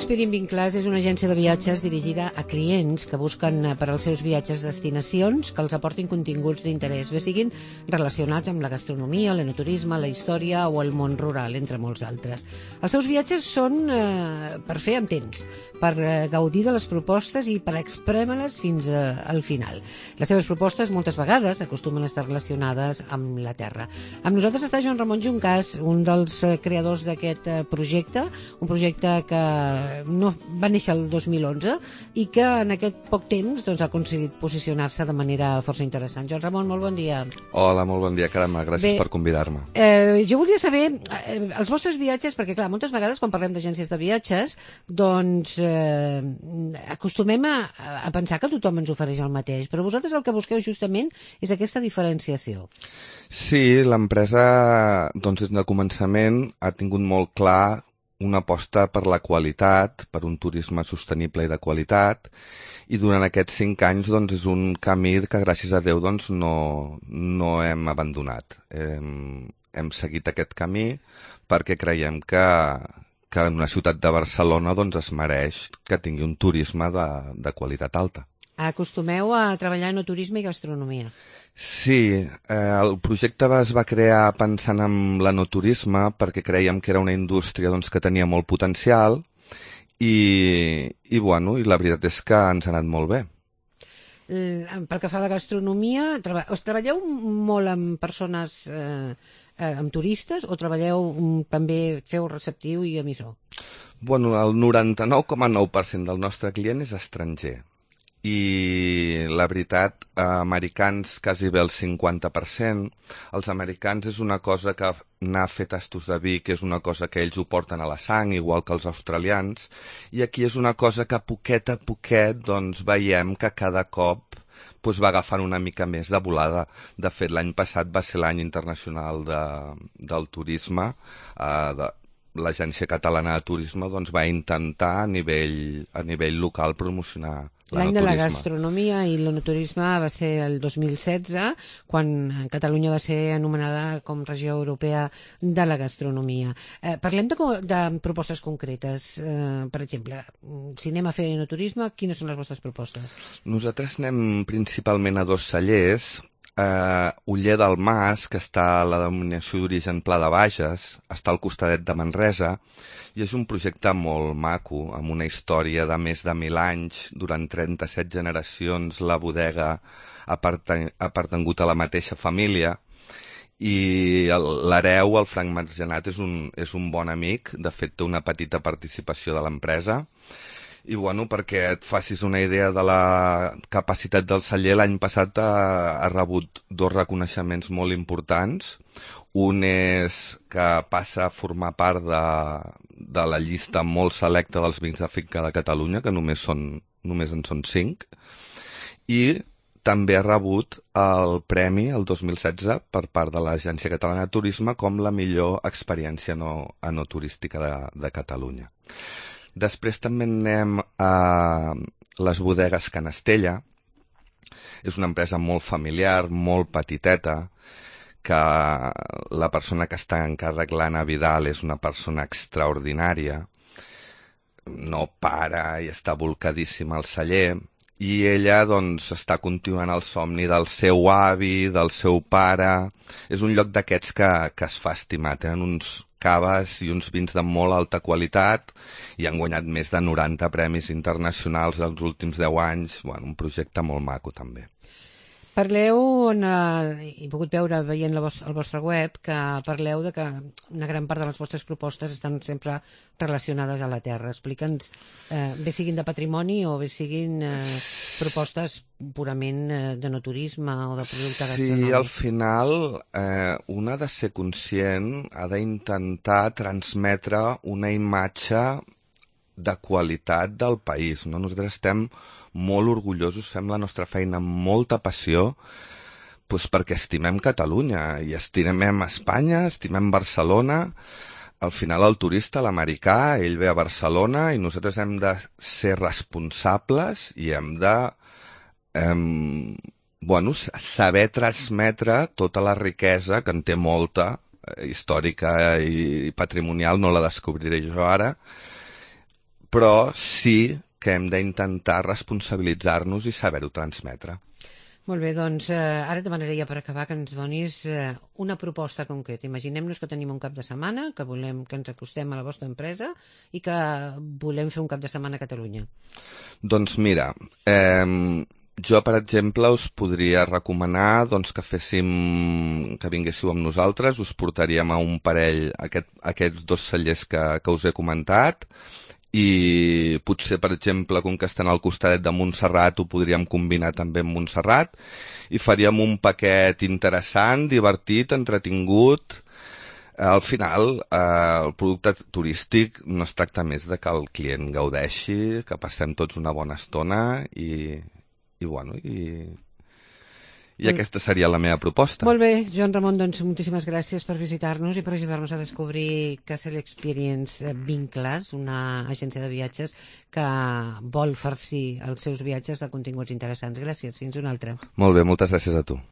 Experience Vinclàs és una agència de viatges dirigida a clients que busquen per als seus viatges destinacions que els aportin continguts d'interès, bé siguin relacionats amb la gastronomia, l'enoturisme, la història o el món rural, entre molts altres. Els seus viatges són per fer amb temps, per gaudir de les propostes i per exprèmer-les fins al final. Les seves propostes moltes vegades acostumen a estar relacionades amb la terra. Amb nosaltres està Joan Ramon Juncàs, un dels creadors d'aquest projecte, un projecte que no va néixer el 2011 i que en aquest poc temps ha aconseguit posicionar-se de manera força interessant. Joan Ramon, molt bon dia. Hola, molt bon dia, Carme, gràcies per convidar-me. Jo volia saber els vostres viatges, perquè clar, moltes vegades quan parlem d'agències de viatges, doncs acostumem a pensar que tothom ens ofereix el mateix, però vosaltres el que busqueu justament és aquesta diferenciació. Sí, l'empresa, doncs des del començament ha tingut molt clar una aposta per la qualitat, per un turisme sostenible i de qualitat, i durant aquests 5 anys doncs, és un camí que gràcies a Déu doncs, no hem abandonat. Hem seguit aquest camí perquè creiem que en una ciutat de Barcelona doncs, es mereix que tingui un turisme de qualitat alta. Acostumeu a treballar en turisme i gastronomia. Sí, el projecte es va crear pensant en l'enoturisme perquè creiem que era una indústria doncs, que tenia molt potencial i la veritat és que ens ha anat molt bé. Pel que fa a la gastronomia, treballeu molt amb persones, amb turistes, o també feu receptiu i emissor? Bueno, el 99,9% del nostre client és estranger. I la veritat, americans quasi bé el 50%. Els americans és una cosa que anar a fer tastos de vi, que és una cosa que ells ho porten a la sang, igual que els australians, i aquí és una cosa que poquet a poquet doncs, veiem que cada cop doncs, va agafant una mica més de volada. De fet, l'any passat va ser l'any internacional del turisme, l'Agència Catalana de Turisme doncs, va intentar a nivell local promocionar l'any de la gastronomia i l'enoturisme va ser el 2016, quan Catalunya va ser anomenada com regió europea de la gastronomia. Parlem de propostes concretes. Per exemple, si anem a fer enoturisme, quines són les vostres propostes? Nosaltres anem principalment a 2 cellers. Oller del Mas, que està a la denominació d'origen Pla de Bages, està al costadet de Manresa, i és un projecte molt maco, amb una història de més de 1.000 anys. Durant 37 generacions la bodega ha pertangut a la mateixa família, i l'hereu, el Frank Margenat, és un bon amic. De fet, té una petita participació de l'empresa. I perquè et facis una idea de la capacitat del celler, l'any passat ha rebut 2 reconeixements molt importants. Un és que passa a formar part de la llista molt selecta dels vins de finca de Catalunya, que només en són 5, i també ha rebut el premi el 2016 per part de l'Agència Catalana de Turisme com la millor experiència enoturística de Catalunya. Després també anem a les bodegues Canestella. És una empresa molt familiar, molt petiteta, que la persona que està en càrrec, l'Anna Vidal, és una persona extraordinària. No para i està volcadíssima al celler. I ella doncs, està continuant el somni del seu avi, del seu pare. És un lloc d'aquests que es fa estimar. Tenen uns caves i uns vins de molt alta qualitat i han guanyat més de 90 premis internacionals els últims 10 anys. Un projecte molt maco, també. Parleu, he pogut veure veient el vostre web, que parleu de que una gran part de les vostres propostes estan sempre relacionades a la terra. Explica'ns, bé siguin de patrimoni o bé siguin propostes purament d'enoturisme o de producte gastronòmic. Sí, al final un ha de ser conscient, ha d'intentar transmetre una imatge de qualitat del país. Nosaltres estem molt orgullosos, fem la nostra feina amb molta passió, perquè estimem Catalunya i estimem Espanya, estimem Barcelona. Al final el turista, l'americà, ell ve a Barcelona i nosaltres hem de ser responsables i hem de saber transmetre tota la riquesa, que en té molta, històrica i patrimonial, no la descobriré jo ara, però sí que hem d'intentar responsabilitzar-nos i saber-ho transmetre. Molt bé, doncs ara et demanaria per acabar que ens donis una proposta concreta. Imaginem-nos que tenim un cap de setmana, que volem que ens acostem a la vostra empresa i que volem fer un cap de setmana a Catalunya. Doncs mira, jo, per exemple, us podria recomanar doncs, que vinguéssiu amb nosaltres, us portaríem a un parell, aquests 2 cellers que us he comentat, i potser, per exemple, com que estan al costadet de Montserrat, ho podríem combinar també amb Montserrat, i faríem un paquet interessant, divertit, entretingut. Al final, el producte turístic no es tracta més de que el client gaudeixi, que passem tots una bona estona i aquesta seria la meva proposta. Molt bé, Joan Ramon, doncs moltíssimes gràcies per visitar-nos i per ajudar-nos a descobrir Castle Experience Vincles, una agència de viatges que vol farcir els seus viatges de continguts interessants. Gràcies, fins una altra. Molt bé, moltes gràcies a tu.